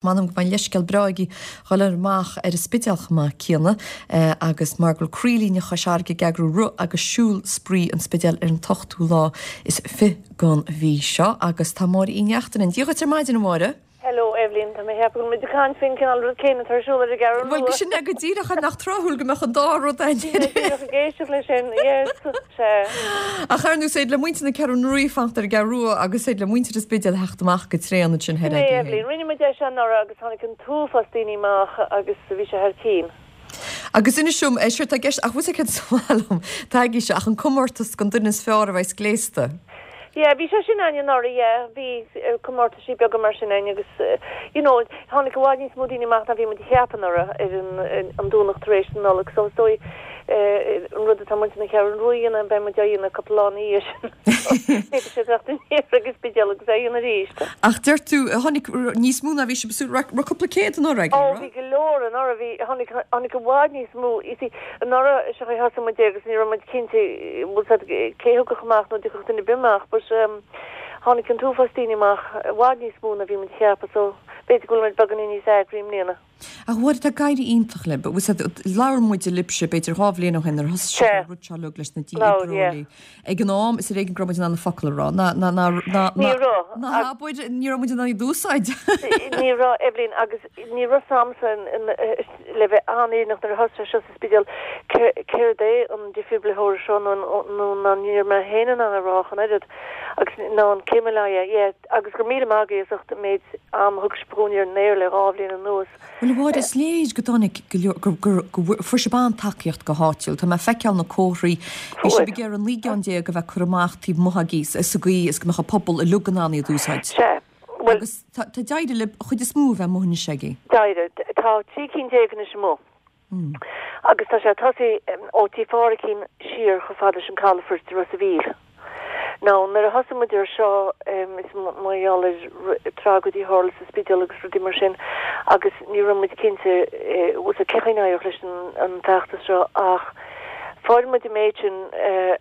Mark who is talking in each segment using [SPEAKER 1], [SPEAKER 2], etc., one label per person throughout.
[SPEAKER 1] M'anam go mbeidh leithscéal breá agaibh dhul amach ar an Spidéal chomh maith céanna agus mar go bhfuil Croílíne Chois Fharraige ag eagrú Rith agus Siúl Spraoi an Spidéil ar an t-ochtú lá is 20 den mhí seo agus tá Máire Uí Neachtain linn. Dia dhuit ar maidin a Mháire.
[SPEAKER 2] Hello Eibhlín, tá mé ag ceapadh go bhfuil muid ag caint faoin cineál rud céanna atá ar siúl ar an gCeathrú
[SPEAKER 1] Rua. Bhuel, sin é go díreach, nach tráthúil go mbeadh an dá rud
[SPEAKER 2] ann. Bhí mé díreach ag éisteacht leis sin, yes, sea.
[SPEAKER 1] Ach ar ndóigh, is féidir le muintir na Ceathrún Rua fanacht ar an gCeathrú Rua agus is féidir le muintir an Spidéil theacht amach go tréan ansin
[SPEAKER 2] thoir
[SPEAKER 1] Sin é,
[SPEAKER 2] agaibh Eibhlín. Rinne muid é seo anuraidh agus tháinig an t-uafás daoine amach agus bhí sé thar cinn.
[SPEAKER 1] Agus inis dom, séard tá i gceist, ach bhfuil 's agat céard is maith liom, taigí seo, ach an comórtas don duine is fearr a bheas gléasta.
[SPEAKER 2] Yeah, bhí sé sin ann anuraidh, yeah. Bhí comórtaisí beaga mar sin ann agus, you know, tháinig i bhfad níos mó daoine amach ná bhí muid a cheapadh anuraidh ar an an Domhnach tar éis na Nollag. So is dóigh an rud atá muintir na Ceathrún Rua a dhéanamh, beidh muid á dhéanamh cúpla lá ina dhiaidh sin. So féadfaidh siad teacht aniar ag an Spidéal agus é a dhéanamh arís.
[SPEAKER 1] Ach deir tú, tháinig níos mó ná bhí sibh ag súil, raibh cúpla céad anuraidh
[SPEAKER 2] agaibh, raibh? Ó, bhí go leor anuraidh, bhí, tháinig, tháinig i bhfad níos mó, you see, Anuraidh is ea thosaigh muid é agus ní raibh muid cinnte bhfuil 's a'd cé thiocfadh amach nó dtiocfadh duine ar bith amach but tháinig an t-uafás daoine amach, i bhfad níos mó ná bhí muid a cheapadh so b'fhéidir go bhfuil muid beagáinín níos eagraí i mbliana.
[SPEAKER 1] Ach a Mháire, tá ag éirí iontach libh, bhfuil 's a'd, labhair muid libhse b'fhéidir 2 bhliain ó shin nuair a thosaigh sibh
[SPEAKER 2] Sea,
[SPEAKER 1] an rud seo uilig leis na
[SPEAKER 2] labhair, yeah.
[SPEAKER 1] dí-oibreoirí. Ag an am, is ar éigean go raibh muid in ann na focail a rá, na, na, na, na,
[SPEAKER 2] Ní
[SPEAKER 1] na,
[SPEAKER 2] raibh,
[SPEAKER 1] na
[SPEAKER 2] ag.
[SPEAKER 1] habair, ní raibh muid in ann iad a úsáid.
[SPEAKER 2] Ní raibh, Eibhlín, agus ní raibh 's a'msa le bheith an-fhírinneach nuair a thosaigh sé seo sa Spidéal céard é an defibrillator seo nó nó ná ní raibh mé féin in ann a rá ach an oiread agus ná an céim a yeah agus go raibh míle maith agaibh as ucht an méid am a thug sibh dhúinn ar an aer le 2 bhliain anuas.
[SPEAKER 1] Bhuel a Mháire, is léir go dtáinig go leor, gur, gur, go bhfuair sibh an-tacaíocht go háitiúil. Tá mé ag feiceáil na comharthaí. Bhí sibh ag iarraidh 19 gceann a bheith curtha amach taobh amuigh agaibh sa gcaoi is go mbeadh an pobal uilig in ann iad a úsáid.
[SPEAKER 2] Sea.
[SPEAKER 1] Bhuel. Agus tá, tá d'éirigh libh an chuid is mó a bheith amuigh anois agaibh.
[SPEAKER 2] D'éirigh. Tá 13 cinn anois amuigh. Agus tá sé ag tosaí ó Tí Phádhraic siar chomh fada leis an calafort i Ros a' Mhíl. Now, nuair a thosaigh muid ar seo, is mar gheall ar tragóidí a tharla sa Spidéal agus rudaí mar sin, agus ní raibh muid cinnte bhfuil 's a'd cén chaoi a n-éireodh leis an bhfeachtas seo ach fuair muid an méid sin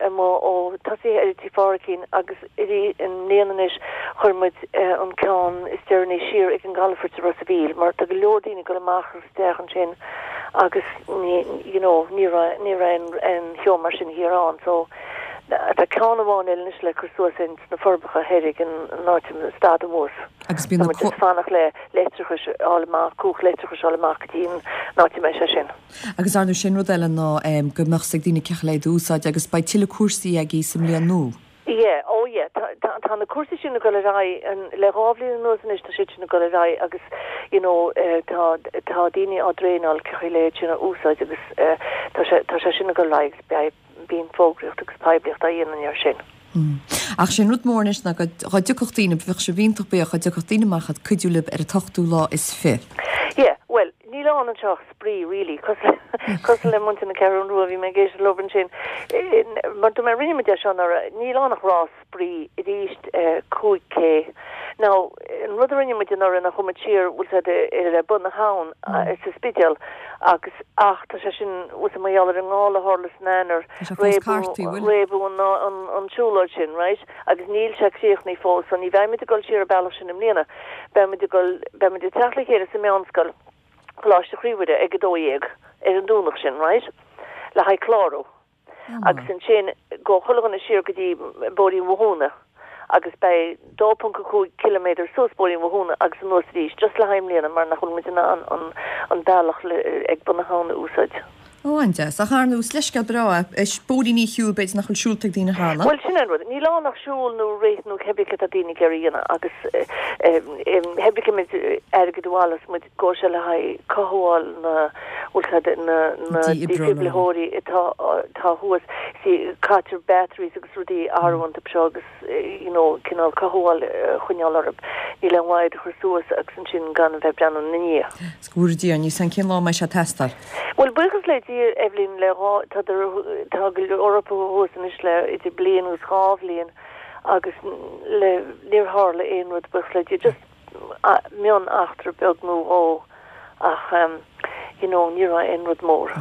[SPEAKER 2] amuigh ó tosaithe ar Tí Phádhraic agus i mbliana anois chuir muid an ceann is deireanaí siar ag an gcalafort i Ros a' Mhíl mar tá go leor daoine ag dul amach agus isteach ansin agus ní you know ní raibh ní raibh aon cheo mar sin thiar ann so tá ceann amháin eile anois le cur suas ins na Forbacha thoir ag an áit a stad an bus.
[SPEAKER 1] Agus bíonn
[SPEAKER 2] na Tá muid ag fanacht le leictreachais a fháil amach, cumhacht leictreachais a fháil amach go dtí an áit a mbeidh sé sin.
[SPEAKER 1] Agus ar ndóigh sin rud eile ná go mbeadh 's ag daoine cén chaoi le iad a úsáid agus beidh tuilleadh cúrsaí agaibh sa mbliain nua.
[SPEAKER 2] Yeah, oh yeah, tá, tá, tá na cúrsaí sin ag dul ar aghaidh, le 2 bhliain anuas anois tá siad sin ag dul ar aghaidh agus you know tá, tá daoine á dtraenáil cén chaoi le iad sin a úsáid agus tá sé, tá sé sin ag dul ar aghaidh agus beidh, bíonn fógraíocht agus poiblíocht á dhéanamh air sin.
[SPEAKER 1] Ach sé an rud mór anois ná go, dhá dtiocfadh daoine, bheadh sibh iontach buíoch dhá dtiocfadh daoine amach ag cuidiú libh ar an t-ochtú lá is fi.
[SPEAKER 2] Yeah, bhuel, níl ann anseo ach spraoi really, cosúil le muintir na Ceathrún Rua, bhí mé ag éisteacht leo ansin, mar dúirt mé, rinne muid é seo anuraidh, níl ann ach rás spraoi arís 5K. Now, an rud a rinne muid anuraidh ná chuaigh muid siar, bhfuil 's a'd, le bun na habhann sa Spidéal agus, ach tá sé sin, bhfuil 's a'd, mar gheall ar an ngála a tharla san Eanáir, réabadh an tsiúlóid sin, right, agus níl sé críochnaithe fós, so ní bheidh muid ag dul siar an bealach sin i mbliana, beidh muid ag dul, beidh muid ag teacht le chéile sa Meánscoil. Coláiste Chroí Mhuire ag 12 ar an Domhnach sin, right, le haghaidh clárú. Agus ansin gabhfaidh chuile dhuine siar go dtí Bóithrín Bhothúna agus beidh 2.5 ciliméadar suas Bóithrín Bhothúna agus anuas arís, just le haghaidh i mbliana mar nach bhfuil muid in ann an an bealach ag bun na habhann a úsáid.
[SPEAKER 1] Ó, an-deas. Ach ar ndóigh, is leithscéal breá é. Is bóithríní a shiúl, b'fhéidir nach bhfuil siúlta ag daoine cheana.
[SPEAKER 2] Bhuel, sin é an rud. Níl ann ach siúl nó rith nó cébí céard atá daoine ag iarraidh a dhéanamh agus cébí cé méid airgid a bhaileos muid, gabhfaidh sé le haghaidh cothabháil na, bhfuil 's a'd, na, na dífhibritheoirí atá, atá thuas. See, caitear batteries agus rudaí a athrú iontu seo agus. you know, cineál cothabháil a choinneáil orthu. Níl aon mhaith iad a chur suas agus ansin gan a bheith ag breathnú ina ndiaidh.
[SPEAKER 1] Is go bhfóire Dia orainn, níl 's a'm cén lá a mbeidh sé ag teastáil.
[SPEAKER 2] Bhuel, buíochas le Dia, Eibhlín, le dhá, tá, tá go leor acu thuas anois le idir bliain agus dhá bhliain agus le, níor tharla aon rud, buíochas le Dia, just mion eachtra beag nó dhó ach, you know, ní raibh aon rud mór.